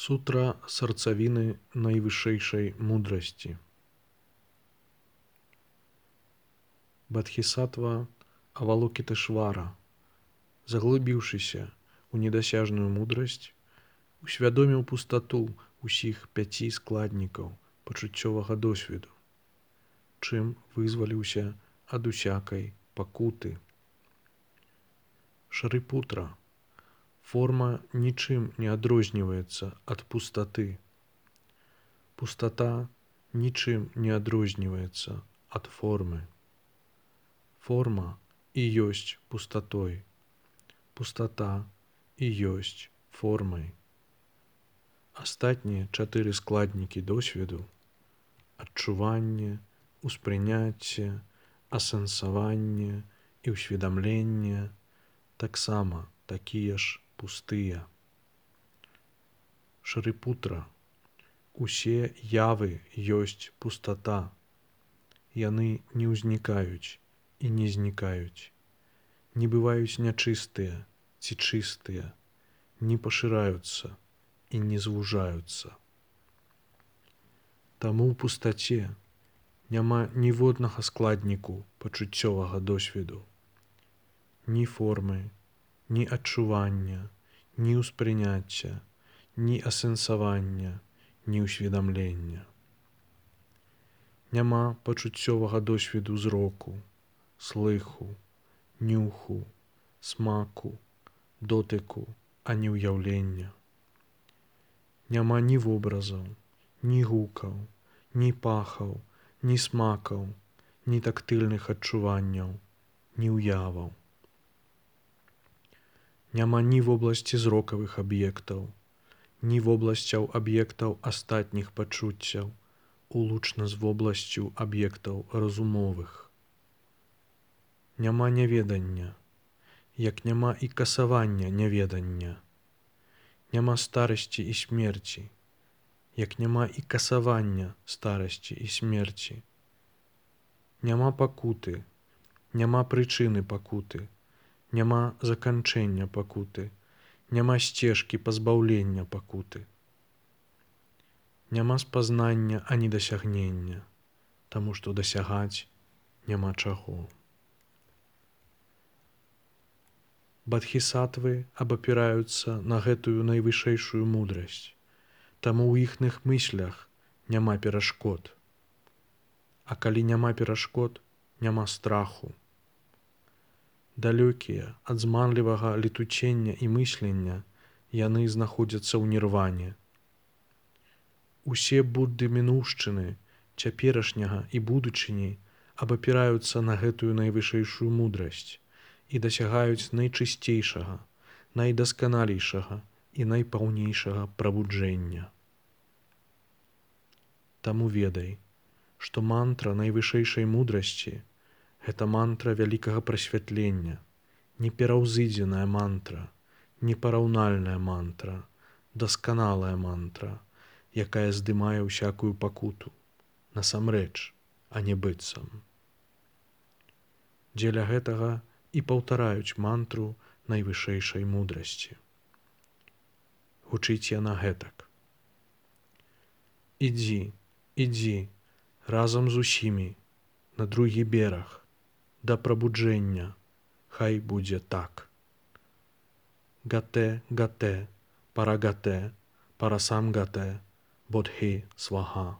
Сутра сарцавіны найвышэйшай мудрасці. Бадхісатва Авалокітешвара, заглыбіўшыся ў недасяжную мудрасць, усвядоміў пустату ўсіх 5 складнікаў пачуццёвага досведу, чым вызваліўся ад усякай пакуты. Шарипутра, форма нічым не адрозніваецца ад пустаты. Пустата нічым не адрозніваецца ад формы. Форма і ёсць пустатой. Пустата і ёсць формай. Астатнія 4 складнікі досведу — адчуванне, успрыняцце, асэнсаванне і ўсведамленне — таксама такія ж пустыя. Шарипутра, усе явы ёсць пустата. Яны не ўзнікаюць і не знікаюць, не бываюць нячыстыя ці чыстыя, не пашыраюцца і не звужаюцца. Таму ў пустаце няма ніводнага складніку пачуццёвага досведу. Ні формы, ні адчування, ні ўспрыняцця, ні асэнсавання, ні ўсведамлення. Няма пачуццёвага досведу зроку, слыху, нюху, смаку, дотыку, ані ўяўлення. Няма ні вобразаў, ні гукаў, ні пахаў, ні смакаў, ні тактыльных адчуванняў, ні ўяваў. Няма ні вобласці зрокавых аб'ектаў, ні вобласцяў аб'ектаў астатніх пачуццяў, улучна з вобласцю аб'ектаў разумовых. Няма няведання, як няма і касавання няведання. Няма старасці і смерці, як няма і касавання старасці і смерці. Няма пакуты, няма прычыны пакуты, няма заканчэння пакуты, няма сцежкі пазбаўлення пакуты. Няма спазнання ані дасягнення, таму што дасягаць няма чаго. Бадхісатвы абапіраюцца на гэтую найвышэйшую мудрасць, таму ў іхных мыслях няма перашкод. А калі няма перашкод, няма страху. Далёкія ад зманлівага летуцення і мыслення, яны знаходзяцца ў нірване. Усе Будды мінуўшчыны, цяперашняга і будучыні абапіраюцца на гэтую найвышэйшую мудрасць і дасягаюць найчысцейшага, найдасканалейшага і найпаўнейшага прабуджэння. Таму ведай, што мантра найвышэйшай мудрасці — гэта мантра вялікага прасвятлення, непераўзыдзеная мантра, непараўнальная мантра, дасканалая мантра, якая здымае ўсякую пакуту, насамрэч, а не быццам. Дзеля гэтага і паўтараюць мантру найвышэйшай мудрасці. Гучыць яна гэтак. Ідзі, ідзі, разам з усімі, на другі бераг, да прабуджэння, хай будзе так. Гате, гате, парагате, парасамгате, бодхі сваха.